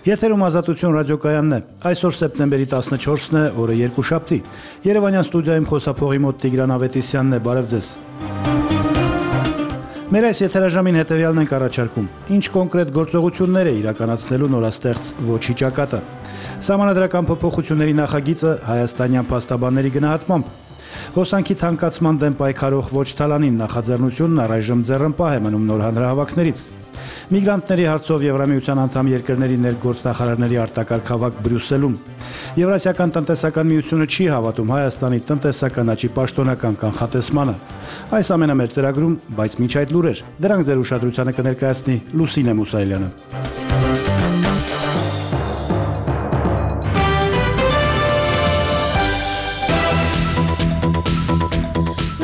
Եթերում Ազատություն ռադիոկայանն է։ Այսօր սեպտեմբերի 14-ն է, օրը երկուշաբթի։ Երևանյան ստուդիայում խոսափողի մոտ Տիգրան Ավետիսյանն է, բարև ձեզ։ Մեր այս եթերաժամին հետևյալն ենք առաջարկում. ինչ կոնկրետ գործողություններ է իրականացնելու նորաստեղծ ոչի ճակատը։ Սահմանադրական փոփոխությունների նախագիծը հայաստանյան փաստաբանների գնահատմամբ։ Հոսանքի թանկացման դեմ պայքարող ոչ թալանին նախաձեռնությունն առայժմ ձեռնպահ է մնում նոր հանրահավաքներից։ Միգրանտների հարցով Եվրամիության անդամ երկրների ներգործնախարարների արտակարգ հավաք Բրյուսելում։ Եվրասիական տնտեսական միությունը չի հավատում Հայաստանի տնտեսական աճի պաշտոնական կանխատեսմանը։ Այս ամենը մեր ծրագրում, բայց միջ այդ լուրեր։ Դրանք ձեր ուշադրությանը կներկայացնի Լուսինե Մուսայելյանը։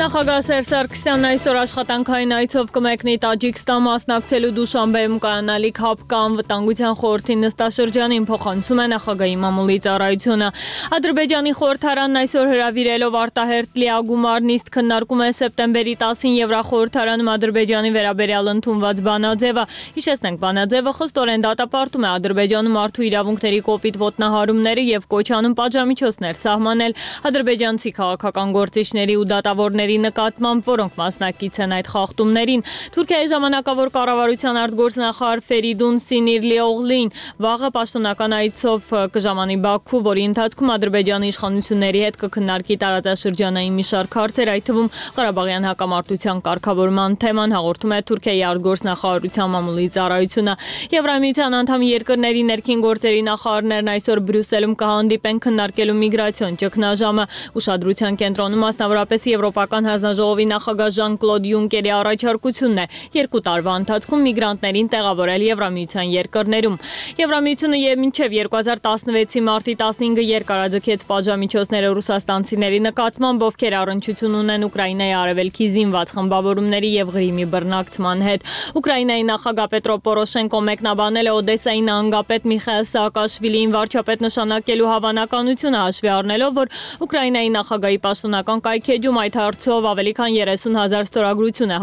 Նախագահ Սերժ Սարգսյանն այսօր աշխատանքային այցով կմեկնի Տաջիկստան մասնակցելու Դուշանբեում կայանալիք ՀԱՊԿ անվտանգության խորհրդի նստաշրջանին, փոխանցում է նախագահի մամուլի ծառայությունը։ Ադրբեջանի խորհրդարանն այսօր հրավիրելով արտահերթ լիագումար նիստ քննարկում է սեպտեմբերի 10-ին Եվրախորհրդարանում Ադրբեջանի վերաբերյալ ընդունված բանաձևը։ Հիշեցնենք, բանաձևը խստորեն դատապարտում է Ադրբեջանում մարդու իրավունքների կոպիտ ոտնահարումները եւ կոչ անում պատժամիջոցներ սահմանել ադրբեջանցի քաղաքական գործիչների ու դատավորների նկատմամբ, որոնք մասնակից են այդ խախտումներին։ Թուրքիայի ժամանակավոր կառավարության արտգործնախարար Ֆերիդուն Սինիրլիօղլին վաղը պաշտոնական այցով կժամանի Բաքու, որի ընթացքում Ադրբեջանի իշխանությունների հետ կքննարկի տարածաշրջանային մի շարք հարցեր, այդ թվում Ղարաբաղյան հակամարտության կարգավորման թեման, հաղորդում է Թուրքիայի արտգործնախարարության մամուլի ծառայությունը։ Եվրամիության անդամ երկրների ներքին գործերի նախարարներն այսօր Բրյուսելում կհանդիպեն քննարկելու միգրացիոն ճգնաժամը։ Ուշադրության կենտրոնում մասնավորապես Եվրոպական հանձնաժողովի նախագահ Ժան-Կլոդ Յունկերի առաջարկությունն է 2 տարվա ընթացքում միգրանտներին տեղավորել Եվրամիության երկրներում։ Եվրամիությունը մինչև 2016-ի մարտի 15-ը երկարաձգեց պատժամիջոցները ռուսաստանցիների նկատմամբ, ովքեր առնչություն ունեն Ուկրաինայի արևելքի զինված խմբավորումների եւ Ղրիմի բռնակցման հետ։ Ուկրաինայի նախագահ Պետրո Պորոշենկոն մեկնաբանել է Օդեսայի նահանգապետ Միխայիլ Սաակաշվիլիին վարչապետ նշանակելու հավանականությունը, հաշվի առնելով, որ Ուկրաինայի նախագահի պաշտոնական կայքեջում այդ հարցով ավելի քան 30,000 ստորագրություն է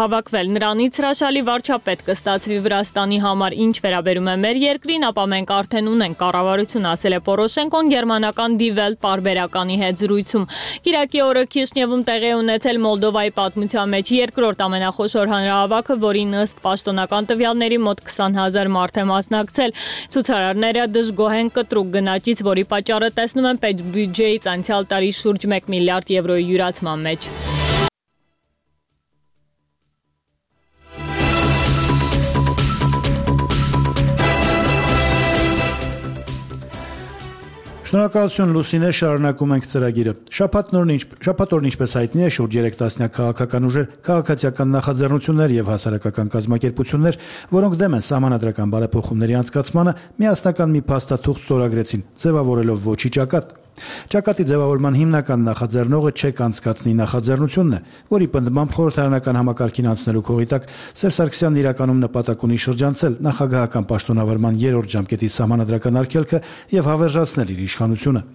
հավաքվել։ Նրանից հրաշալի վարչապետ կստացվի Վրաստանի համար, ինչ վերաբերում է մեր երկրին, ապա մենք արդեն ունենք կառավարություն, ասել է Պորոշենկոն գերմանական Die Welt պարբերականի հետ զրույցում։ Կիրակի օրը Քիշնևում տեղի ունեցել Մոլդովայի պատմության մեջ երկրորդ ամենախոշոր հանրահավաքը, որին ըստ պաշտոնական տվյալների մոտ 20,000 մարդ է մասնակցել։ Ցուցարարները դժգոհ են կտրուկ գնաճից, որի պատճառը տեսնում են պետբյուջեից անցյալ տարի շուրջ 1 միլիարդ եվրոյի յուրացման մեջ։ Շնորհակալություն Լուսինե, շարունակում ենք ծրագիրը։ Շաբաթ օրն ինչպես հայտնի է, շուրջ 3 տասնյակ քաղաքական ուժեր, քաղաքացիական նախաձեռնություններ եւ հասարակական կազմակերպություններ, որոնք դեմ են սահմանադրական բարեփոխումների անցկացմանը, միասնական մի փաստաթուղթ ստորագրեցին, ձևավորելով ոչի ճակատ։ Ճակատի ձևավորման հիմնական նախաձեռնողը չեք անցկացնի նախաձեռնությունն է, որի պնդմամբ խորհրդարանական համակարգին անցնելու քողի տակ Սերժ Սարգսյանն իրականում նպատակ ունի շրջանցել նախագահական պաշտոնավարման 3-րդ ժամկետի սահմանադրական արգելքը եւ հավերժացնել իր իշխանությունը։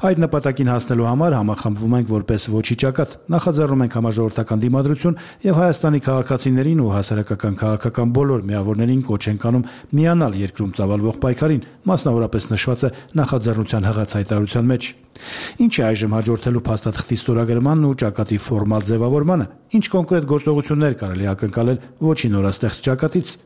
Այդ նպատակին հասնելու համար համախմբվում ենք որպես ոչի ճակատ, նախաձեռնում ենք համաժողովրդական դիմադրություն եւ Հայաստանի քաղաքացիներին ու հասարակական քաղաքական բոլոր միավորներին կոչ ենք անում միանալ երկրում ծավալվող պայքարին, մասնավորապես նշված է նախաձեռնության հղած հայտարարության մեջ։ Ինչ է այժմ հաջորդելու փաստաթղթի ստորագրմանն ու ճակատի ֆորմալ ձևավորմանը, ինչ կոնկրետ գործողություններ կարելի ակնկալել ոչի նորաստեղծ ճակատից։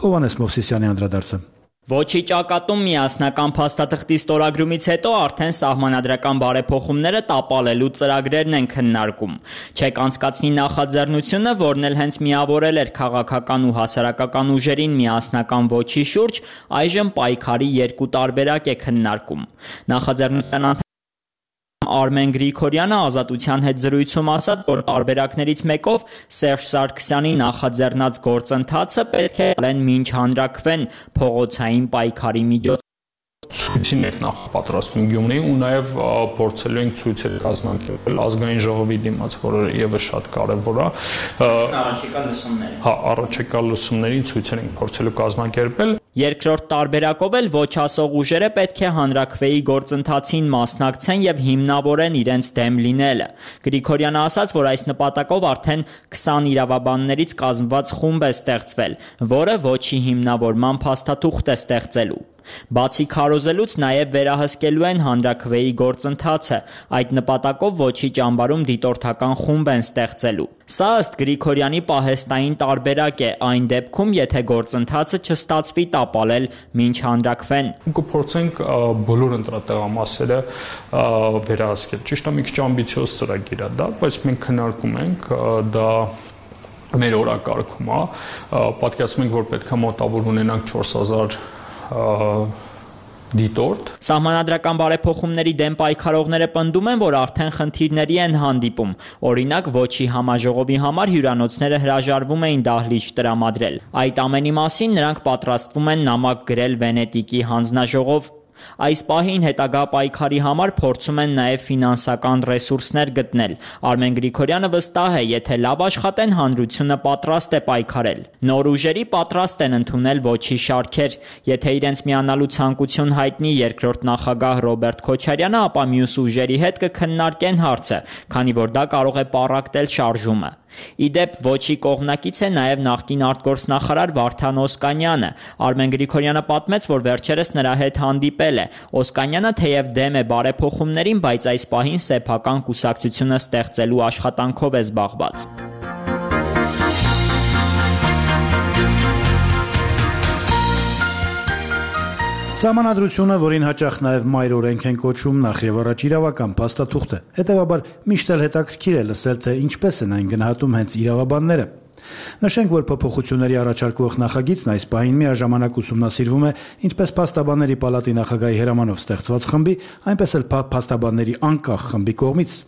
Հովհաննես Մովսիսյանի անդրադարձը։ Ոչի ճակատում միասնական փաստաթղթի ստորագրումից հետո արդեն սահմանադրական բարեփոխումները տապալելու ծրագրերն են քննարկում։ Չեք անցկացնի նախաձեռնությունը, որն էլ հենց միավորել էր քաղաքական ու հասարակական ուժերին միասնական ոչի շուրջ, այժմ պայքարի 2 տարբերակ է քննարկում։ Նախաձեռնության Արմեն Գրիգորյանը Ազատության հետ զրույցում ասաց, որ տարբերակներից մեկով Սերժ Սարգսյանի նախաձեռնած գործընթացը պետք է լեն մինչ հանրաքվեն փողոցային պայքարի միջոցով։ Ցույցին ենք նախապատրաստվում Գյումրիում ու նաև փորձելու ենք ցույցեր կազմակերպել ազգային ժողովի դիմաց, որը եւս շատ կարեւոր է։ Առաջիկա լսումներին։ Առաջիկա լսումներին ցույցեր ենք փորձելու կազմակերպել։ Երկրորդ տարբերակով էլ ոչ ասող ուժերը պետք է հանրաքվեի գործընթացին մասնակցեն եւ հիմնավորեն իրենց դեմ լինելը։ Գրիգորյանը ասաց, որ այս նպատակով արդեն 20 իրավաբաններից կազմված խումբ է ստեղծվել, որը ոչի հիմնավորման փաստաթուղթ է ստեղծելու։ Բացի քարոզելուց նաև վերահսկելու են հանրաքվեի գործընթացը, այդ նպատակով ոչի ճամբարում դիտորդական խումբ են ստեղծելու։ Սա ըստ Գրիգորյանի պահեստային տարբերակ է այն դեպքում, եթե գործընթացը չստացվի տապալել մինչ հանրաքվեն։ Կփորձենք բոլոր ընտրատեղամասերը վերահսկել։ Ճիշտ է, մի քիչ ամբիցիոզ ծրագիր է դա, բայց մենք քննարկում ենք դա մեր օրակարգում է, պատկերացնում ենք, որ պետք է մոտավոր ունենանք 4000 դիտորդ։ Սահմանադրական բարեփոխումների դեմ պայքարողները պնդում են, որ արդեն խնդիրների են հանդիպում։ Օրինակ, ոչի համաժողովի համար հյուրանոցները հրաժարվում էին դահլիճ տրամադրել։ Այդ ամենի մասին նրանք պատրաստվում են նամակ գրել Վենետիկի հանձնաժողով։ Այս պահին հետագա պայքարի համար փորձում են նաև ֆինանսական ռեսուրսներ գտնել։ Արմեն Գրիգորյանը վստահ է, եթե լավ աշխատեն, հանրությունը պատրաստ է պայքարել։ Նոր ուժերի պատրաստ են ընդունել ոչի շարքեր։ Եթե իրենց միանալու ցանկություն հայտնի երկրորդ նախագահ Ռոբերտ Քոչարյանը, ապա մյուս ուժերի հետ կքննարկեն հարցը, քանի որ դա կարող է պառակտել շարժումը։ Իդեպ ոչի կողմնակից է նաև նախկին արտգործնախարար Վարդան Օսկանյանը։ Արմեն Գրիգորյանը պատմեց, որ վերջերս նրա հետ հանդիպել է։ Օսկանյանը թեև դեմ է բարեփոխումներին, բայց այս պահին սեփական կուսակցությունը ստեղծելու աշխատանքով է զբաղված։ Սահմանադրությունը, որին հաճախ նաև մայր օրենք են կոչում, նախ եւ առաջ իրավական փաստաթուղթ է։ Հետևաբար միշտ էլ հետաքրքիր է լսել, թե ինչպես են այն գնահատում հենց իրավաբանները։ Նշենք, որ փոփոխությունների առաջարկվող նախագիծն այս պահին միաժամանակ ուսումնասիրվում է ինչպես փաստաբանների պալատի նախագահի հրամանով ստեղծված խմբի, այնպես էլ փաստաբանների անկախ խմբի կողմից։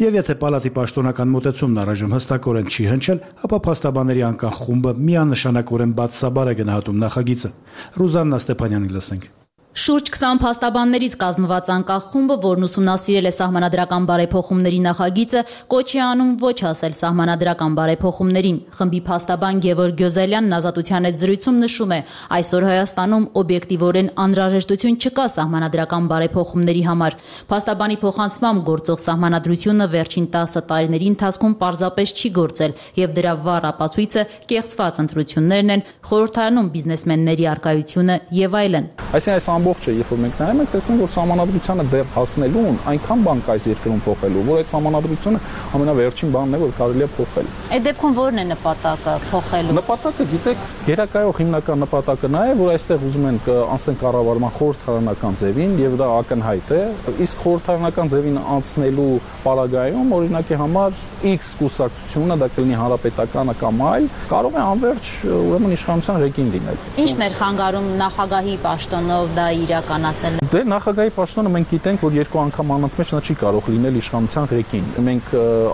Եվ եթե պալատի պաշտոնական մոտեցումն առայժմ հստակորեն չի հնչել, ապա փաստաբանների անկախ խումբը միանշանակորեն բացասաբար է գնահատում նախագիծը։ Ռուզաննա Ստեփանյանին լսենք։ Շուրջ 20 փաստաբաններից կազմված անկախ խումբը, որն ուսումնասիրել է սահմանադրական բարեփոխումների նախագիծը, կոչ է անում ոչ ասել սահմանադրական բարեփոխումներին։ Խմբի փաստաբան Գևորգ Գյոզելյանն Ազատության հետ զրույցում նշում է, այսօր Հայաստանում օբյեկտիվորեն անհրաժեշտություն չկա սահմանադրական բարեփոխումների համար։ Փաստաբանի փոխանցմամբ գործող սահմանադրությունը վերջին 10 տարիների ընթացքում պարզապես չի գործել, եւ դրա վառ ապացույցը կեղծված ընտրություններն են, խորհրդարանում բիզնեսմենների առկայությունը եւ այլն։ Այսինքն ամբողջը, երբ որ մենք նայում ենք, տեսնում ենք, որ սահմանադրությանը դեռ հասնելուն այնքան բան կա այս երկրում փոխելու, որ այդ սահմանադրությունը ամենավերջին բանն է, որ կարելի է փոխել։ Այդ դեպքում ո՞րն է նպատակը փոխելու։ Նպատակը, գիտեք, գերակայող հիմնական նպատակը նա է, որ այստեղ ուզում են անցնեն կառավարման խորհրդարանական ձևին, եւ դա ակնհայտ է։ Իսկ խորհրդարանական ձևին անցնելու պարագայում, օրինակի համար X կուսակցությունը, դա կլինի հանրապետականը կամ այլ, կարող է անverջ ուրեմն իշխանության ռեգին լինել։ Ինչն էր խանգարում նախագահի պաշտոնով դա իրականացնել։ Դե նախագահի պաշտոնը մենք գիտենք, որ երկու անգամ անընդմեջ նա չի կարող լինել իշխանության ռեգին։ Մենք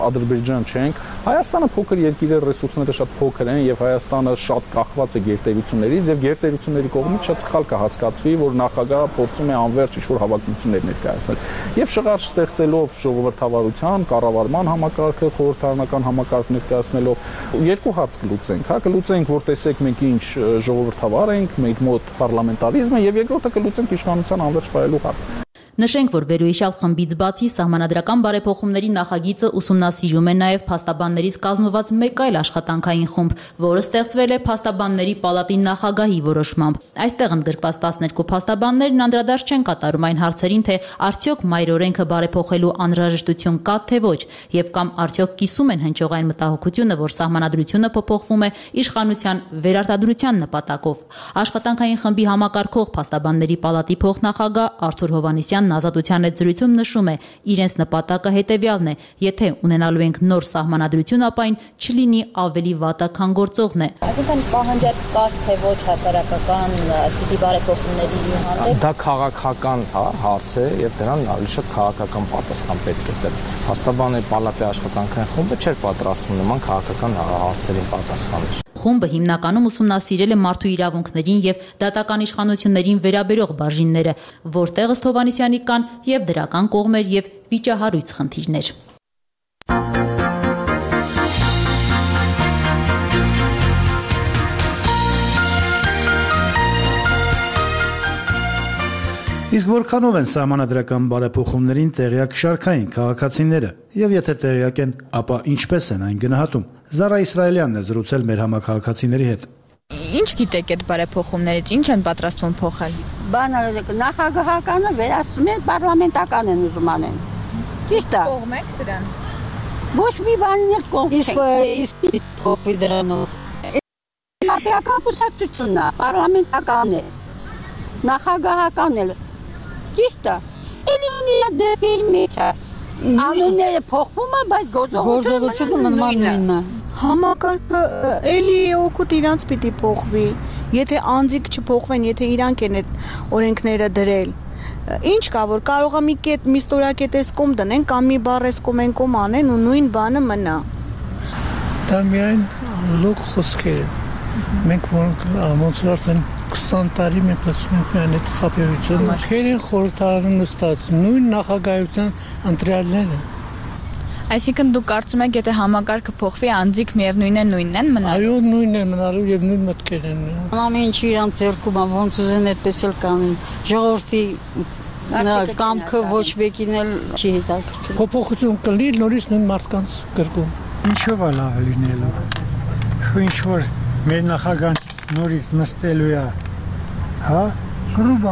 Ադրբեջան չենք։ Հայաստանը փոքր երկիր է, ռեսուրսները շատ փոքր են եւ Հայաստանը շատ կախված է գերտերություններից եւ գերտերությունների կողմից շատ սխալ կհասկացվի, որ նախագահը փորձում է անverջ ինչ-որ հավակնություններ ներկայացնել։ Եվ շղարշ ստեղծելով ժողովրդավարության, կառավարման համակարգը, խորհրդարանական համակարգ ներկայացնելով երկու հարց կլուծենք, հա, կլուծենք, որ տեսեք մենք ինչ ժողովրդավար ենք, մենք մոտ պարլամենտարիզմ է եւ երկրորդը կլուծենք իշխանության անverջ վայելու հարց։ Նշենք, որ վերոհիշյալ խմբից բացի սահմանադրական բարեփոխումների նախագիծը ուսումնասիրում է նաև փաստաբաններից կազմված մեկ այլ աշխատանքային խումբ, որը ստեղծվել է փաստաբանների պալատի նախագահի որոշմամբ։ Այստեղ ընդգրկված 12 փաստաբաններն անդրադարձ չեն կատարում այն հարցերին, թե արդյոք մայր օրենքը բարեփոխելու անհրաժեշտություն կա թե ոչ, եւ կամ արդյոք կիսում են հնչող այն մտահոգությունը, որ սահմանադրությունը փոփոխվում է իշխանության վերարտադրության նպատակով։ Աշխատանքային խմբի համակարգող փաստաբանների պալատի փոխնախագահ Արթուր Հովհաննիսյանն Ազատության հետ զրույցում նշում է, իրենց նպատակը հետևյալն է, եթե ունենալու ենք նոր սահմանադրություն, ապա այն չլինի ավելի վատը, քան գործողն է։ Այսինքն պահանջարկ կար թե ոչ հասարակական այսպիսի բարեփոխումների հանդեպ։ Դա քաղաքական հարց է եւ դրան ավելի շատ քաղաքական պատասխան պետք է տրվել։ Փաստաբանների պալատի աշխատանքային խումբը չէր պատրաստվում նման քաղաքական հարցերին պատասխանել։ Խումբը հիմնականում ուսումնասիրել է մարդու իրավունքներին եւ դատական իշխանություններին վերաբերող բաժինները, որտեղ ըստ Հովհաննիսյանի կան եւ դրական կողմեր եւ վիճահարույց խնդիրներ։ Իսկ որքանով են սահմանադրական բարեփոխումներին տեղյակ շարքային քաղաքացիները, եւ եթե տեղյակ են, ապա ինչպես են այն գնահատում։ Զարա Իսրայելյանն է զրուցել մեր համակարգացիների հետ։ Ինչ գիտեք այդ բարեփոխումներից, ինչ են պատրաստվում փոխել։ Բանը նախագահականը վերացում են, պարլամենտական են ուզում անեն։ Ճիշտ է։ Կողմ եք դրան։ Ոչ մի բանին էլ կողմ չեք։ Իսկ փոխվի դրանով։ Սապիական կուսակցությունն է, պարլամենտական է։ Նախագահական էլ։ Ճիշտ է։ Էլի մի դեպքի մեջ է։ Անունները փոխվում է, բայց գործողությունը մնում է։ Համակարգը էլի օգուտ իրանց պիտի փոխվի։ Եթե անձիկ չփոխվեն, եթե իրանք են այդ օրենքները դրել, ինչ կա որ կարող է մի ստորակետեսկում դնեն կամ մի բառեսկում անեն ու նույն բանը մնա։ Դա միայն լոկ խոսքեր են։ Մենք ոնց արդեն 20 տարի մենք լսում ենք միայն այդ խաբեությունը։ Քերին խորհրդարանում նստած նույն նախագահության ընտրյալները։ Այսինքն դուք կարծում եք, եթե համակարգը փոխվի, անձիկ միևնույնն են մնալու։ Այո, նույնն են մնալու եւ նույն մտքերն են։ Ամեն ինչ իրանց ձեռքում է, ոնց ուզեն այդպես էլ կանեն։ Ժողովրդի կամքը ոչ մեկին էլ չի հետաքրքրում։ Փոփոխություն կլինի նորից նույն մարդկանց կրկում։ Ինչով է լավ լինելու։ Ինչ որ մեր նախագահան նորից նստելու է, հա? Կլուբ։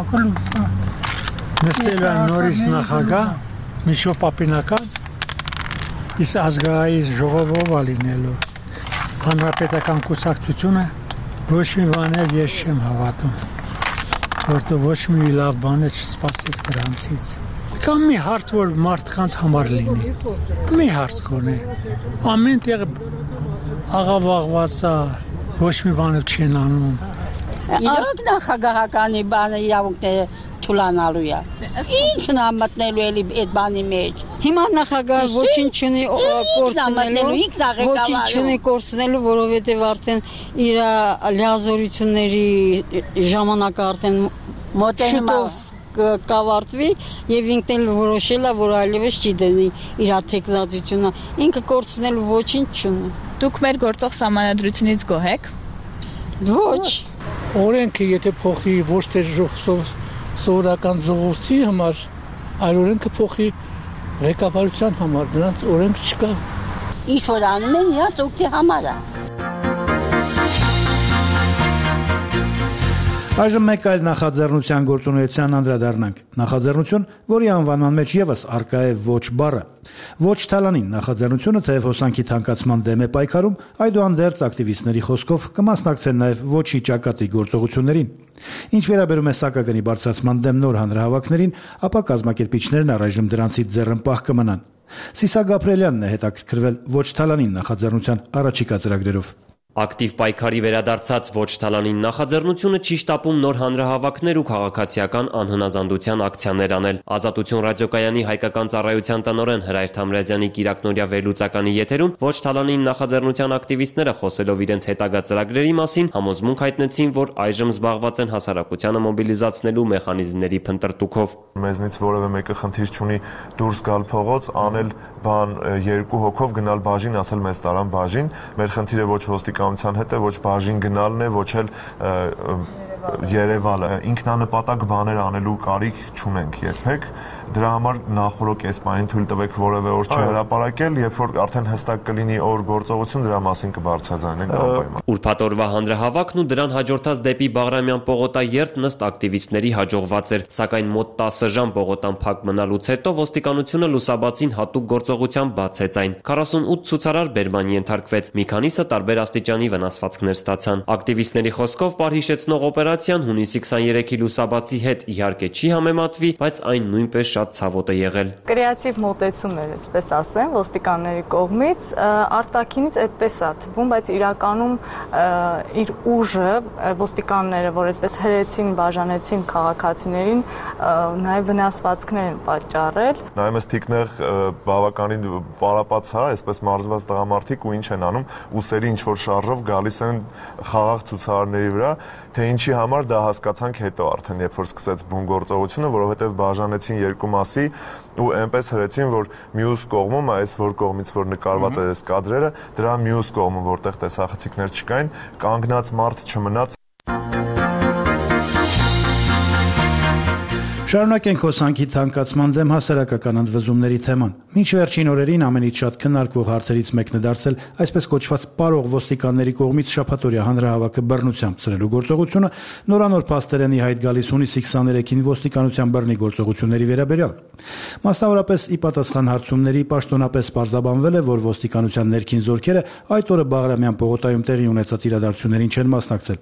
Նստելու է նորից նախագահ, միջոպապինական, իսկ ազգային ժողովով է լինելու։ Հանրապետական կուսակցությունը ոչ մի բան էլ ես չեմ հավատում, որտեղ ոչ մի լավ բան չսպասեք դրանցից։ Կամ մի հարց, որ մարդկանց համար լինի։ Մի հարց կոնե։ Ամեն տեղ աղավաղված է, ոչ մի բան չեն անում։ Արոք նախագահականի բանը իրավունքները թուլանալու է։ Ինքն է մտնելու էլի այդ բանի մեջ։ Հիմա նախագահը ոչինչ չունի կորցնելու, որովհետև արդեն իր լիազորությունների ժամանակը արդեն շուտով կավարտվի եւ ինքն էլ որոշել է, որ այլևս չի դնի իր թեկնածությունը։ Ինքը կորցնելու ոչինչ չունի։ Դուք մեր գործող սահմանադրությունից գոհ եք։ Ոչ։ Օրենքը եթե փոխի ոչ թե սովորական ժողովրդի համար, այլ օրենքը փոխի ղեկավարության համար, նրանց օրենք չկա։ Ինչ որ անում են իրաց օգտի համար է։ Այժմ մեկ այլ նախաձեռնության գործունեության անդրադառնանք։ Նախաձեռնություն, որի անվանման մեջ եւս առկա է ոչ բառը։ Ոչ թալանին նախաձեռնությունը թեև հոսանքի թանկացման դեմ է պայքարում, այդուհանդերձ ակտիվիստների խոսքով կմասնակցեն նաեւ ոչի ճակատի գործողություններին։ Ինչ վերաբերում է սակագնի բարձրացման դեմ նոր հանրահավաքներին, ապա կազմակերպիչներն առայժմ դրանցից ձեռնպահ կմնան։ Սիսա Գաբրելյանն է հետաքրքրվել ոչ թալանին նախաձեռնության առաջիկա ծրագրերով։ Ակտիվ պայքարի վերադարձած ոչ թալանին նախաձեռնությունը չի շտապում նոր հանրահավաքներ ու քաղաքացիական անհնազանդության ակցիաներ անել։ Ազատություն ռադիոկայանի հայկական ծառայության տնօրեն Հրայր Թամրազյանի կիրակնօրյա վերլուծականի եթերում ոչ թալանին նախաձեռնության ակտիվիստները խոսելով իրենց հետագա ծրագրերի մասին համոզմունք հայտնեցին, որ այժմ զբաղված են հասարակությանը մոբիլիզացնելու մեխանիզմների փնտրտուքով։ Մեզնից որևէ մեկը խնդիր չունի դուրս գալ փողոց, անել բան երկու հոգով գնալ բաժին, ասել մեզ տարան բաժին։ Մեր խնդիրը ոչ ոստիկանության հետ է, ոչ բաժին գնալն է, ոչ էլ Երևանը ինքնանպատակ բաներ անելու կարիք չունենք երբեք։ Դրա համար նախորդ կեսպային թույլ տվեք որևէ օր չհրապարակել, երբ որ արդեն հստակ կլինի օր գործողություն, դրա մասին կբարձրաձայնենք անպայման։ Ուրբաթ օրվա հանրահավաքն ու դրան հաջորդած դեպի Բաղրամյան պողոտայերթ ըստ ակտիվիստների հաջողված էր, սակայն մոտ 10 ժամ պողոտան փակ մնալուց հետո ոստիկանությունը լուսաբացին հատուկ գործողությամբ բացեց այն։ 48 ցուցարար բերման ենթարկվեց, մի քանիսը տարբեր աստիճանի վնասվածքներ ստացան։ Ակտիվիստների խոսքով պարհիշեցնող օպերացիան հունիսի 23-ի լուսաբացի հետ իհարկե չի համեմատվի, բայց այն նույնպես շատ ցավոտ է եղել։ Կրեատիվ մոտեցումներ, այսպես ասեմ, ոստիկանների կողմից, արտաքինից այդպես է թվում, բայց իրականում իր ուժը ոստիկանները, որ այդպես հրեցին, բաժանեցին քաղաքացիներին, նաև վնասվածքներ են պատճառել։ Նայում ես թիկնեղ բավականին պարապած է, այսպես մարզված տղամարդիկ ու ինչ են անում, ուսերի ինչ որ շարժով գալիս են խաղաղ ցուցարարների վրա, թե ինչի համար դա հասկացանք հետո արդեն, երբ որ սկսեց բուն գործողությունը, որովհետև բաժանեցին երկու մասի ու այնպես հրեցին, որ մյուս կողմում, այս որ կողմից որ նկարված էր այս կադրերը, դրա մյուս կողմում, որտեղ տեսախցիկներ չկային, կանգնած մարդ չմնաց։ Շարունակենք հոսանքի թանկացման դեմ հասարակական ընդվզումների թեման։ Մինչ վերջին օրերին ամենից շատ քննարկվող հարցերից մեկն է դարձել այսպես կոչված պարող ոստիկանների կողմից շաբաթօրյա հանրահավաքը բռնությամբ ծրելու գործողությունը, նորանոր փաստերենի հայտ գալիս հունիսի 23-ին ոստիկանության բռնի գործողությունների վերաբերյալ։ Մասնավորապես ի պատասխան հարցումների պաշտոնապես պարզաբանվել է, որ ոստիկանության ներքին զորքերը այդ օրը Բաղրամյան պողոտայում տեղի ունեցած իրադարձություններին չեն մասնակցել։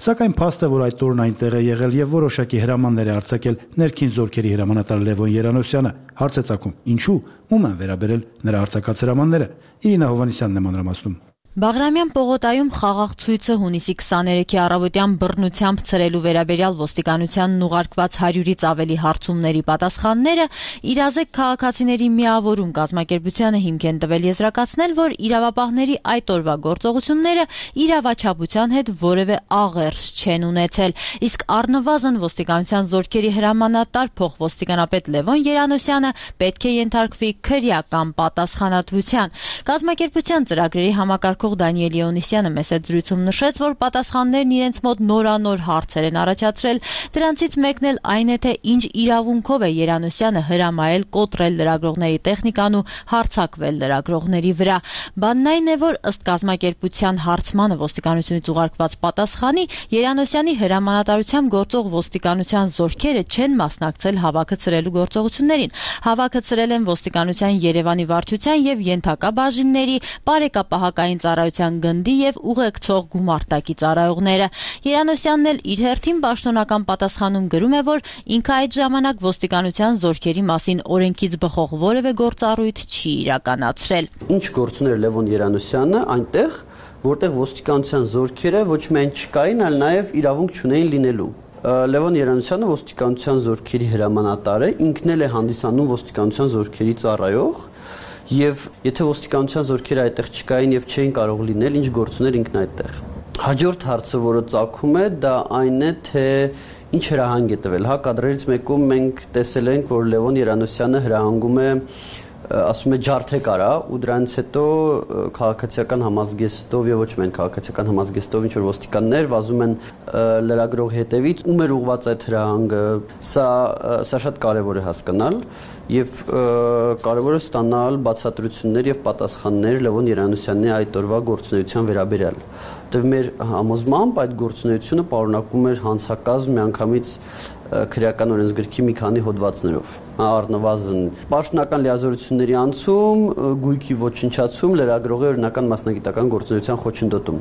Սակայն փաստ է, որ այդ օրն այնտեղ է եղել եւ որոշակի հրամաններ է արձակել ներքին զորքերի հրամանատար Լևոն Երանոսյանը։ Հարց է ծագում. ինչու, ում են վերաբերել նրա արձակած հրամանները։ Իրինա Հովանեսյանն է մանրամասնում։ Բաղրամյան պողոտայում խաղաղ ցույցը հունիսի 23-ի առավոտյան բռնությամբ ցրելու վերաբերյալ ոստիկանությանն ուղարկված 100-ից ավելի հարցումների պատասխանները իրազեկ քաղաքացիների միավորում կազմակերպությանը հիմք են տվել եզրակացնել, որ իրավապահների այդ օրվա գործողությունները իրավաչափության հետ որևէ աղերս չեն ունեցել, իսկ առնվազն ոստիկանության զորքերի հրամանատար փոխոստիկանապետ Լևոն Երանոսյանը պետք է ենթարկվի քրեական պատասխանատվության։ Կազմակերպության ծրագրերի համակարգող Դանիել Իոնիսյանը մեծ զրույցում նշեց, որ պատասխաններն իրենց մոտ նորանոր հարցեր են առաջացրել, դրանցից մեկն էլ այն է, թե ինչ իրավունքով է Երանոսյանը հրամայել կոտրել լրագրողների տեխնիկան ու հարձակվել լրագրողների վրա։ Բանն այն է, որ ըստ կազմակերպության հարցմանը ոստիկանությունից ուղարկված պատասխանի Երանոսյանի հրամանատարությամբ գործող ոստիկանության զորքերը չեն մասնակցել հավաքը ցրելու գործողություններին։ Հավաքը ցրել են ոստիկանության Երևանի վարչության եւ ենթակա բաժինների, բարեկապահական ծառայության գնդի եւ ուղեկցող գումարտակի ծառայողները։ Երանոսյանն էլ իր հերթին պաշտոնական պատասխանում գրում է, որ ինքը այդ ժամանակ ոստիկանության զորքերի մասին օրենքից բխող որևէ գործառույթ չի իրականացրել։ Ինչ գործուներ Լևոն Երանոսյանը այնտեղ, որտեղ ոստիկանության զորքերը ոչ միայն չկային, այլ նաեւ իրավունք չունեին լինելու։ Լևոն Երանոսյանը ոստիկանության զորքերի հրամանատար է, ինքն էլ է հանդիսանում ոստիկանության զորքերի ծառայող։ Եվ եթե ոստիկանության զորքերը այդտեղ չկային եւ չէին կարող լինել, ինչ գործուներ ինքն այդտեղ։ Հաջորդ հարցը, որը ծագում է, դա այն է, թե ինչ հրահանգ է տվել։ Հա, կադրերից մեկում մենք տեսել ենք, որ Լևոն Երանոսյանը հրահանգում է, ասում է ջարդեք արա, ու դրանից հետո քաղաքացիական համազգեստով եւ ոչ միայն քաղաքացիական համազգեստով ինչ որ ոստիկաններ վազում են լրագրող հետևից, ում էր ուղղված այդ հրահանգը, սա շատ կարեւոր է հասկանալ եւ կարեւոր է ստանալ բացատրություններ եւ պատասխաններ Լևոն Երանոսյանի այդ օրվա գործունեության վերաբերյալ։ Որտեւ մեր համոզմամբ այդ գործունեությունը պարունակում էր հանցակազմ միանգամից քրեական օրենսգրքի մի քանի հոդվածներով։ Առնվազն պաշտոնական լիազորությունների անցում, գույքի ոչնչացում, լրագրողի օրինական մասնագիտական գործունեության խոչընդոտում։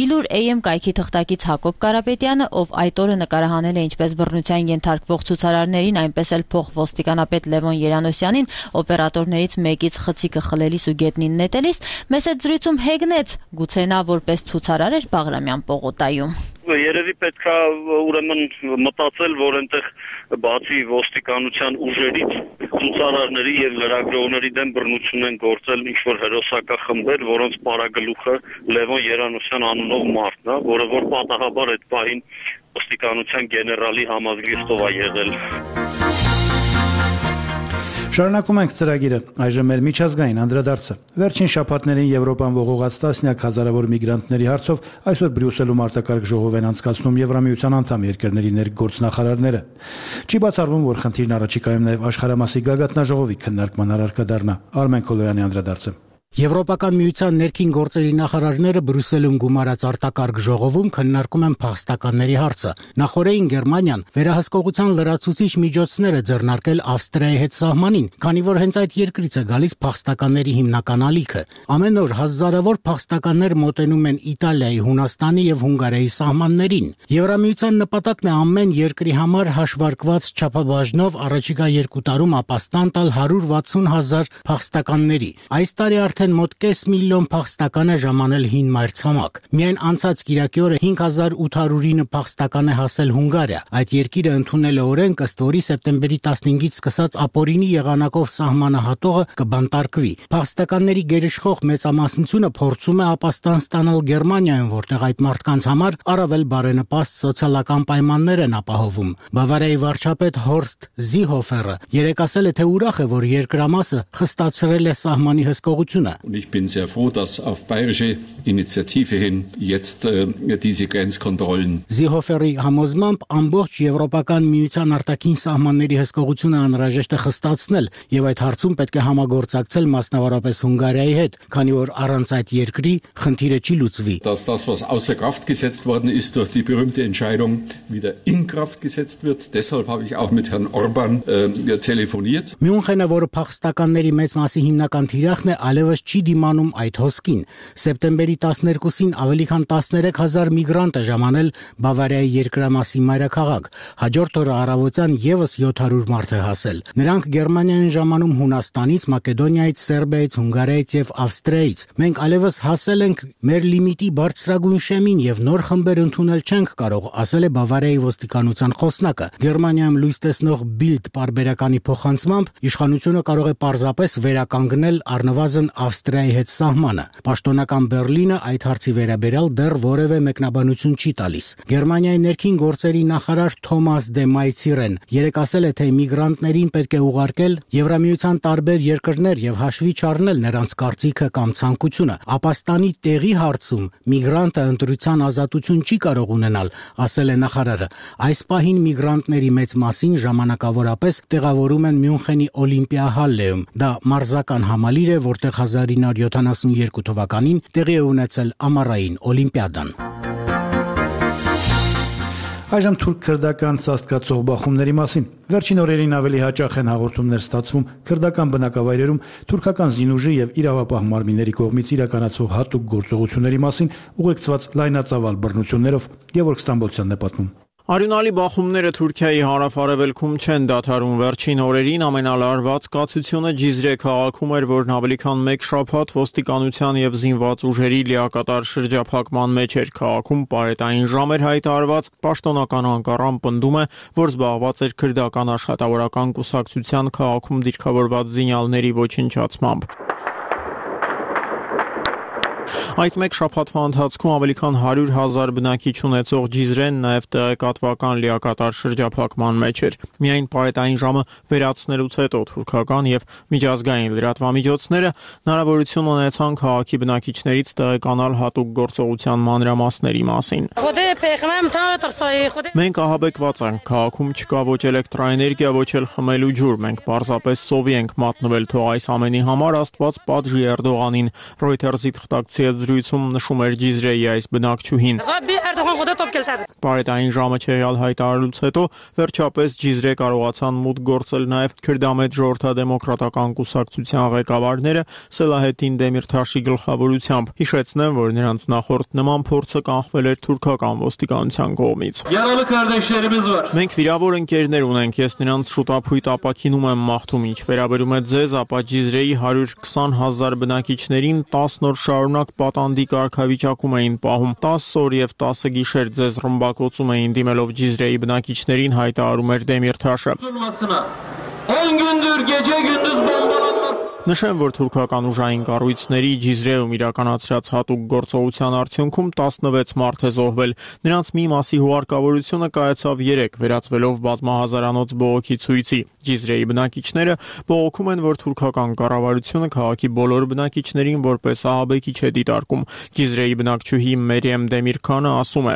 Իլուր AM կայքի թղթակից Հակոբ Կարապետյանը, ով այդ օրը նկարահանել է ինչպես բռնության ենթարկվող ցուցարարներին, այնպես էլ փոխոստիկանապետ Լևոն Երանոսյանին օպերատորներից մեկից խցիկը խլելիս ու գետնին նետելիս, մեծ զրույցում հեգնեց, գուցե նա որպես ցուցարար էր Բաղրամյան պողոտայում։ Երևի պետք է ուրեմն մտածել, որ այնտեղ բացի ոստիկանության ուժերից ցուցարարների եւ լրագրողների դեմ բռնություն են գործել ինչ-որ հերոսակախմբեր, որոնց պարագլուխը Լևոն Երանոսյան անունով մարդն է, որը որ պատահաբար այդ պահին ոստիկանության գեներալի համազգեստով է եղել։ Շարունակում ենք ծրագիրը, այժմ մեր միջազգային անդրադարձը։ Վերջին շաբաթներին Եվրոպան ողողած տասնյակ հազարավոր միգրանտների հարցով այսօր Բրյուսելում արտակարգ ժողով են անցկացնում Եվրամիության անդամ երկրների ներգործնախարարները։ Չի բացառվում, որ խնդիրն առաջիկայում նաև աշխարհամասի գագաթնաժողովի քննարկման առարկա դառնա։ Արմեն Քոլոյանի անդրադարձը։ Եվրոպական միության ներքին գործերի նախարարները Բրյուսելում գումարած արտակարգ ժողովում քննարկում են փախստականների հարցը։ Նախորդին Գերմանիան վերահսկողության լրացուցիչ միջոցներ է ձեռնարկել Ավստրիայի հետ սահմանին, քանի որ հենց այդ երկրից է գալիս փախստականների հիմնական ալիքը։ Ամեն օր հազարավոր փախստականներ մոտենում են Իտալիայի, Հունաստանի եւ Հունգարիայի սահմաններին։ Եվրամիության նպատակն է ամեն երկրի համար հաշվարկված չափաբաժնով առաջիկա 2 տարում ապաստան տալ 160,000 փախստականների։ Այս տարի արդեն մոտ կես միլիոն փախստական է ժամանել հին մայրցամաք։ Միայն անցած կիրակի օրը 5809 փախստական է հասել Հունգարիա։ Այդ երկիրը ընդունել է օրենք, ըստ որի սեպտեմբերի 15-ից սկսած ապօրինի եղանակով սահմանը հատողը կբանտարկվի։ Փախստականների գերիշխող մեծամասնությունը փորձում է ապաստան ստանալ Գերմանիայում, որտեղ այդ մարդկանց համար առավել բարենպաստ սոցիալական պայմաններ են ապահովում։ Բավարիայի վարչապետ Հորստ Զիհոֆերը երեկ ասել է, թե ուրախ է, որ երկրամասը խստացրել է սահմանի հսկողությունը։ Սահմանը։ Ich bin sehr froh, dass auf bayerische Initiative hin jetzt diese Grenzkontrollen Զիհոֆերի համոզմամբ ամբողջ Եվրոպական միության արտաքին սահմանների հսկողությունը անհրաժեշտ է խստացնել եւ այդ հարցում պետք է համագործակցել մասնավորապես Հունգարիայի հետ, քանի որ առանց այդ երկրի խնդիրը չի լուծվի։ Dass das, was außer Kraft gesetzt worden ist, durch die berühmte Entscheidung wieder in Kraft gesetzt wird. Deshalb habe ich auch mit Herrn Orban telefoniert. Մյունխենը, որը փախստականների մեծ մասի հիմնական թիրախն է, այլևս չի դիմանում այդ հոսքին։ Սեպտեմբերի 12-ին ավելի քան 13000 միգրանտ է ժամանել Բավարիայի երկրամասի մայրաքաղաք։ Հաջորդ օրը առավոտյան եւս 700 մարդ է հասել։ Նրանք Գերմանիա են ժամանում Հունաստանից, Մակեդոնիայից, Սերբիայից, Հունգարիայից եւ Ավստրիայից։ Մենք այլևս հասել ենք մեր լիմիտի բարձրագույն շեմին եւ նոր խմբեր ընդունել չենք կարող, ասել է Բավարիայի ոստիկանության խոսնակը։ Գերմանիայում լույս տեսնող Bild պարբերականի փոխանցմամբ իշխանությունը կարող է պարզապես վերականգնել առնվազն Ավստրիայի հետ սահմանը։ Պաշտոնական Բերլինը այդ հարցի վերաբերյալ դեռ որևէ մեկնաբանություն չի տալիս։ Գերմանիայի ներքին գործերի նախարար Թոմաս դե Մայցիրեն երեկ ասել է, թե միգրանտներին պետք է ուղարկել Եվրամիության տարբեր երկրներ եւ հաշվի չառնել նրանց կարծիքը կամ ցանկությունը։ Ապաստանի տեղի հարցում միգրանտը ընտրության ազատություն չի կարող ունենալ, ասել է նախարարը։ Այս պահին միգրանտների մեծ մասին ժամանակավորապես տեղավորում են Մյունխենի Օլիմպիա հալլեում։ Դա մարզական համալիր է, որտեղ 1972 թվականին տեղի է ունեցել ամառային օլիմպիադան։ Այժմ թուրք-քրդական ծածկացող բախումների մասին։ Վերջին օրերին ավելի հաճախ են հաղորդումներ ստացվում քրդական բնակավայրերում թուրքական զինուժի եւ իրավապահ մարմինների կողմից իրականացվող հատուկ գործողությունների մասին ուղեկցված լայնածավալ բռնություններով։ Գևորգ Ստամբոլցյանն է պատմում։ Արյունալի բախումները Թուրքիայի հարավ-արևելքում չեն դադարում։ Վերջին օրերին ամենալարված կացությունը Ջիզրե քաղաքում էր, որն ավելի քան 1 շաբաթ ոստիկանության եւ զինված ուժերի լիակատար շրջափակման մեջ էր։ Քաղաքում պարետային ժամ էր հայտարարված։ Պաշտոնական Անկարան պնդում է, որ զբաղված էր քրդական աշխատավորական կուսակցության քաղաքում դիրքավորված զինյալների ոչնչացմամբ։ Այդ մեկ շաբաթվա ընթացքում ավելի քան 100,000 բնակիչ ունեցող Ջիզրեն նաև տեղեկատվական լիակատար շրջափակման մեջ էր։ Միայն պարետային ժամը վերացնելուց հետո թուրքական եւ միջազգային լրատվամիջոցները հնարավորություն ունեցան քաղաքի բնակիչներից տեղեկանալ հատուկ գործողության մանրամասների մասին։ Մենք ահաբեկված ենք, քաղաքում չկա ոչ էլեկտրաէներգիա, ոչ էլ խմելու ջուր, մենք պարզապես սովի ենք մատնվել, թող այս ամենի համար Աստված պատժի Էրդողանին, Reuters-ի թղթակցի հետ զրույցում նշում էր Ջիզրեի այս բնակչուհին։ Պարետային ժամը չեղյալ հայտարարելուց հետո վերջապես Ջիզրե կարողացան մուտք գործել նաև քրդամետ ժողովրդադեմոկրատական կուսակցության ղեկավարները Սելահեդին Դեմիրթաշի գլխավորությամբ։ Հիշեցնեմ, որ նրանց նախորդ նման փորձը կանխվել էր թուրքական ոստիկանության կողմից։ Մենք վիրավոր ընկերներ ունենք, ես նրանց շուտափույթ ապաքինում եմ մաղթում, ինչ վերաբերում է ձեզ, ապա Ջիզրեի 120,000 բնակիչներին 10 օր շարունակ պատանդի կարգավիճակում էին պահում, 10 օր եւ 10 գիշեր ձեզ ռմբակոծում էին դիմելով Ջիզրեի բնակիչներին, հայտարարում էր Դեմիրթաշը։ 10 gündür gece gündüz bombalanması Նշեմ, որ թուրքական ուժային կառույցների Ջիզրեում իրականացրած հատուկ գործողության արդյունքում 16 մարդ է զոհվել։ Նրանց մի մասի հուարկավորությունը կայացավ 3, վերածվելով բազմահազարանոց բողոքի ցույցի։ Ջիզրեի բնակիչները բողոքում են, որ թուրքական կառավարությունը քաղաքի բոլոր բնակիչներին որպես ահաբեկիչ է դիտարկում։ Ջիզրեի բնակչուհի Մերիեմ Դեմիրքանը ասում է.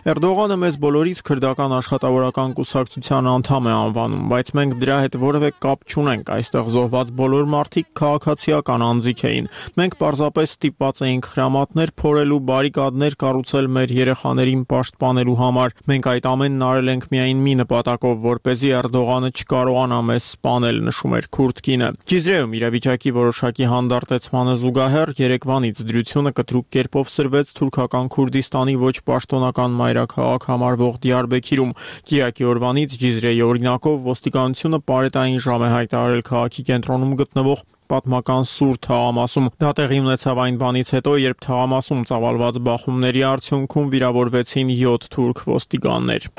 Էրդողանը մեզ բոլորից քրդական աշխատավորական կուսակցության անդամ է անվանում, բայց մենք դրա հետ որևէ կապ չունենք։ Այստեղ զոհված բոլոր մարդիկ քաղաքացիական անձիկ էին։ Մենք պարզապես ստիպված էինք հրամատներ փորելու, բարիկադներ կառուցել մեր երեխաներին պաշտպանելու համար։ Մենք այդ ամենն արել ենք միայն մի նպատակով, որպեսզի Էրդողանը չկարողանա մեզ սպանել, նշում էր քուրդ կինը։ Ջիզրեում իրավիճակի որոշակի հանդարտեցմանը զուգահեռ Երևանից դրությունը կտրուկ կերպով սրվեց թուրքական Քուրդիստանի ոչ պաշտոնական մայրաքաղաք համարվող Դիարբեքիրում։ Կիրակի օրվանից Ջիզրեի օրինակով ոստիկանությունը պարետային ժամ է հայտարարել քաղաքի կենտրոնում գտնվող պատմական Սուր թաղամասում։ Դա տեղի ունեցավ այն բանից հետո, երբ թաղամասում ծավալված բախումների արդյունքում վիրավորվեցին 7 թուրք ոստիկաններ։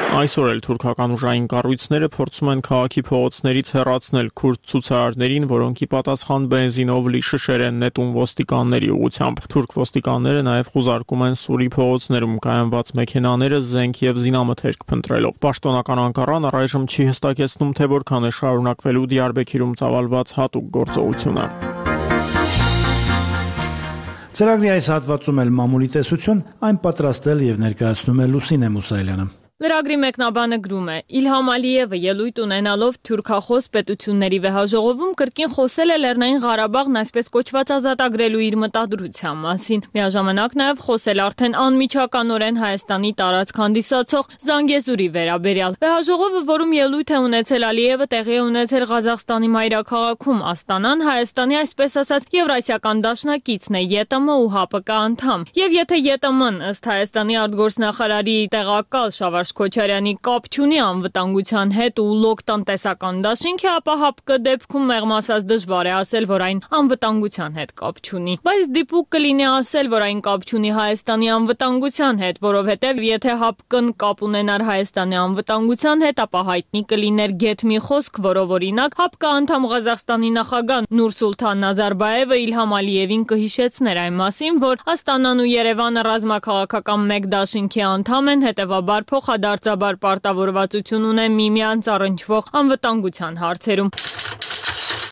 Այսօր էլ թուրքական ուժային կառույցները փորձում են քաղաքի փողոցներից հեռացնել քուրդ ցուցարարներին, որոնք ի պատասխան բենզինով լի շշեր են նետում ոստիկանների ուղղությամբ։ Թուրք ոստիկանները նաև խուզարկում են Սուրի փողոցներում կայանված մեքենաները զենք եւ զինամթերք փնտրելով։ Պաշտոնական Անկարան առայժմ չի հստակեցնում, թե որքան է շարունակվելու Դիարբեքիրում ծավալված հատուկ գործողությունը։ Ծրագրի այս հատվածում էլ մամուլի տեսություն այն պատրաստել եւ ներկայացնում է Լուսինե Մուսայելյանը։ Լրագրի մեկնաբանը գրում է. Իլհամ Ալիևը ելույթ ունենալով թուրքախոս պետությունների վեհաժողովում կրկին խոսել է Լեռնային Ղարաբաղն այսպես կոչված ազատագրելու իր մտադրության մասին։ Միաժամանակ նաև խոսել արդեն անմիջականորեն Հայաստանի տարածք հանդիսացող Զանգեզուրի վերաբերյալ։ Վեհաժողովը, որում ելույթ է ունեցել Ալիևը, տեղի է ունեցել Ղազախստանի մայրաքաղաքում։ Աստանան Հայաստանի այսպես ասած Եվրասիական դաշնակիցն է, ԵՏՄ ու ՀԱՊԿ անդամ։ Եվ եթե ԵՏՄ-ն ըստ Հայաստանի արտգործնախարարի տեղակալ Շավարժ Քոչարյանի կապ չունի անվտանգության հետ ու լոկ տնտեսական դաշինքի, ապա ՀԱՊԿ դեպքում մեղմ ասած դժվար է ասել, որ այն անվտանգության հետ կապ չունի։ Բայց դիպուկ կլինի ասել, որ այն կապ չունի Հայաստանի անվտանգության հետ, որովհետև եթե ՀԱՊԿ-ն կապ ունենար Հայաստանի անվտանգության հետ, ապա հայտնի կլիներ գեթ մի խոսք, որով օրինակ ՀԱՊԿ անդամ Ղազախստանի նախագահ Նուրսուլթան Նազարբաևը Իլհամ Ալիևին կհիշեցներ այն մասին, որ Աստանան ու Երևանը ռազմաքաղաքական մեկ դաշինքի անդամ են, հետևաբար փոխադարձաբար պարտավորվածություն ունեն միմյանց առնչվող անվտանգության հարցերում։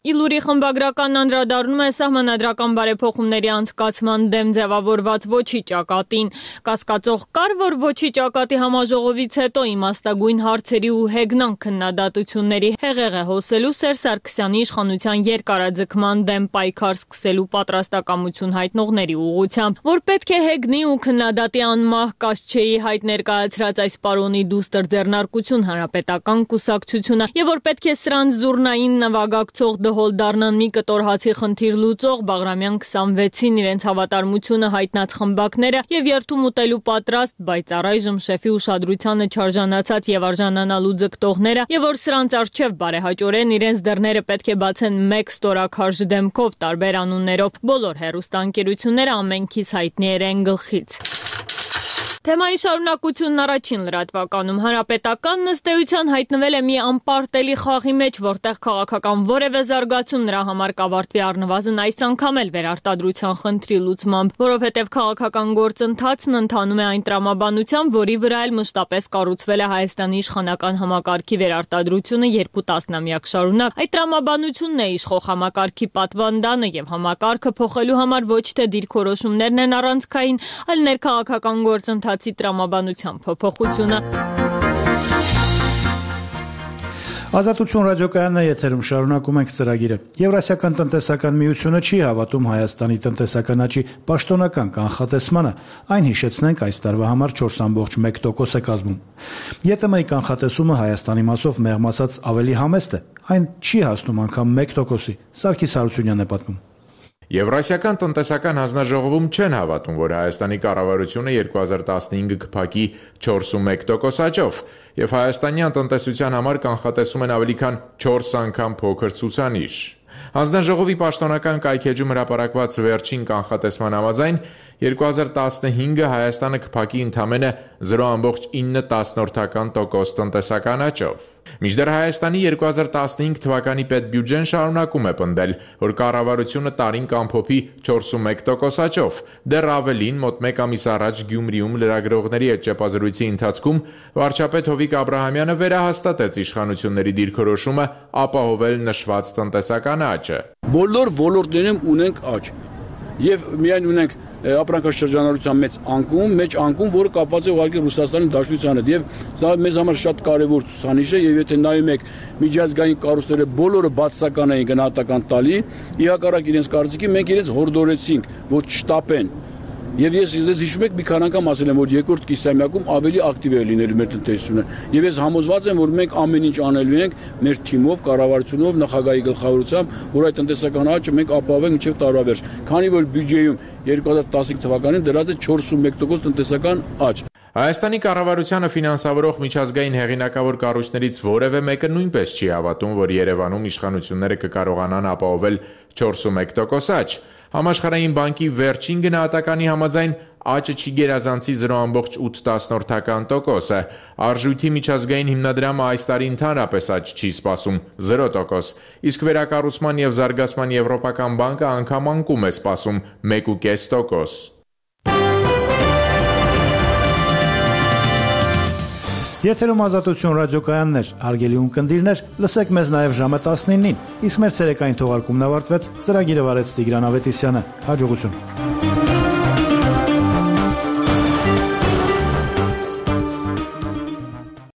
Իլուրի խմբագրականն անդրադառնում է սահմանադրական բարեփոխումների անցկացման դեմ ձևավորված ոչի ճակատին։ Կասկածող կար, որ ոչի ճակատի համաժողովից հետո իմաստագույն հարցերի ու հեգնան քննադատությունների հեղեղ է հոսելու Սերժ Սարգսյանի իշխանության երկարաձգման դեմ պայքար սկսելու պատրաստակամություն հայտնողների ուղղությամբ, որ պետք է հեգնի ու քննադատի անմահ Կասչեի հայտ ներկայացրած այս պարոնի դուստր ձեռնարկություն հանրապետական կուսակցությունը եւ որ պետք է սրանց զուռնային նվագակցող հոլ դառնան մի կտոր հացի խնդիր լուծող Բաղրամյան 26-ին իրենց հավատարմությունը հայտնած խմբակները եւ երթում ուտելու պատրաստ, բայց առայժմ շեֆի ուշադրությանը չարժանացած եւ արժանանալու ձգտողները եւ որ սրանց արժեվ բարեհաճորեն իրենց դռները պետք է բացեն մեկ ստորաքարժ դեմքով տարբեր անուններով բոլոր հեռուստաընկերությունները ամենքից հայտնի են գլխից։ Թեմայի շարունակությունն առաջին լրատվականում հանրապետականն ըստ էության հայտնվել է մի անպարտելի խաղի մեջ, որտեղ քաղաքական որևէ զարգացում նրա համար կավարտվի առնվազն այս անգամ էլ վերարտադրության խնդրի լուծմամբ, որովհետև քաղաքական գործընթացն ընթանում է այն տրամաբանությամբ, որի վրա էլ մշտապես կառուցվել է Հայաստանի իշխանական համակարգի վերարտադրությունը 2 տասնամյակ շարունակ։ Այդ տրամաբանությունն է իշխող համակարգի պատվանդանը եւ համակարգը փոխելու համար ոչ թե դիրքորոշումներն են առանցքային, այլ ներքաղաքական գործընթացի տրամաբանության փոփոխությունը։ Ազատություն ռադիոկայանն է եթերում, շարունակում ենք ծրագիրը։ Եվրասիական տնտեսական միությունը չի հավատում Հայաստանի տնտեսական աճի պաշտոնական կանխատեսմանը, այն հիշեցնենք այս տարվա համար 4.1% է կազմում։ ԵՏՄ-ի կանխատեսումը Հայաստանի մասով մեղմ ասած ավելի համեստ է, այն չի հասնում անգամ 1%-ի։ Սարգիս Հարությունյանն է պատմում։ Եվրասիական տնտեսական հանձնաժողովում չեն հավատում, որ Հայաստանի կառավարությունը 2015 կփակի 4.1% աճով, եւ հայաստանյան տնտեսության համար կանխատեսում են ավելի քան 4 անգամ փոքր ցուցանիշ։ Հանձնաժողովի պաշտոնական կայքեջում հրապարակված վերջին կանխատեսման համաձայն 2015-ը Հայաստանը կփակի ընդամենը 0.9% տնտեսական աճով։ Մինչդեռ Հայաստանի 2015 թվականի պետբյուջեն շարունակում է պնդել, որ կառավարությունը տարին կամփոփի 4.1% աճով։ Դեռ ավելին, մոտ 1 ամիս առաջ Գյումրիում լրագրողների հետ ճեպազրույցի ընթացքում վարչապետ Հովիկ Աբրահամյանը վերահաստատեց իշխանությունների դիրքորոշումը ապահովել նշված տնտեսական աճը։ Բոլոր ոլորտներում ունենք աճ եւ միայն ունենք ապրանքաշրջանառության մեծ անկում, որը կապված է ուղղակի Ռուսաստանի Դաշնության հետ եւ դա մեզ համար շատ կարեւոր ցուցանիշ է եւ եթե նայում եք միջազգային կառույցները բոլորը բացասական էին գնահատական տալի, ի հակառակ իրենց կարծիքի մենք իրենց հորդորեցինք, որ չշտապեն։ Եվ ես հիշում եք մի քանի անգամ ասել եմ, որ երկրորդ կիսամյակում ավելի ակտիվ է լինելու մեր տնտեսությունը։ Եվ ես համոզված եմ, որ մենք ամեն ինչ անելու ենք մեր թիմով, կառավարությունով, նախագահի գլխավորությամբ, որ այդ տնտեսական աճը մենք ապահովենք մինչև տարվա վերջ։ Քանի որ բյուջեում 2015 թվականին դրած է 4.1% տնտեսական աճ։ Հայաստանի կառավարությանը ֆինանսավորող միջազգային հեղինակավոր կառույցներից որևէ մեկը նույնպես չի հավատում, որ Երևանում իշխանությունները կկարողանան ապահովել 4.1% աճ։ Համաշխարհային բանկի վերջին գնահատականի համաձայն աճը չի գերազանցի 0.8%, արժույթի միջազգային հիմնադրամը այս տարի ընդհանրապես աճ չի սպասում 0%, իսկ վերակառուցման եւ զարգացման եվրոպական բանկը անգամ անկում է սպասում 1.5%։ Եթերում Ազատություն ռադիոկայաններ, հարգելի ունկնդիրներ, լսեք մեզ նաև ժամը 19-ին, իսկ մեր ցերեկային թողարկումն ավարտվեց, ծրագիրը վարեց Տիգրան Ավետիսյանը, հաջողություն։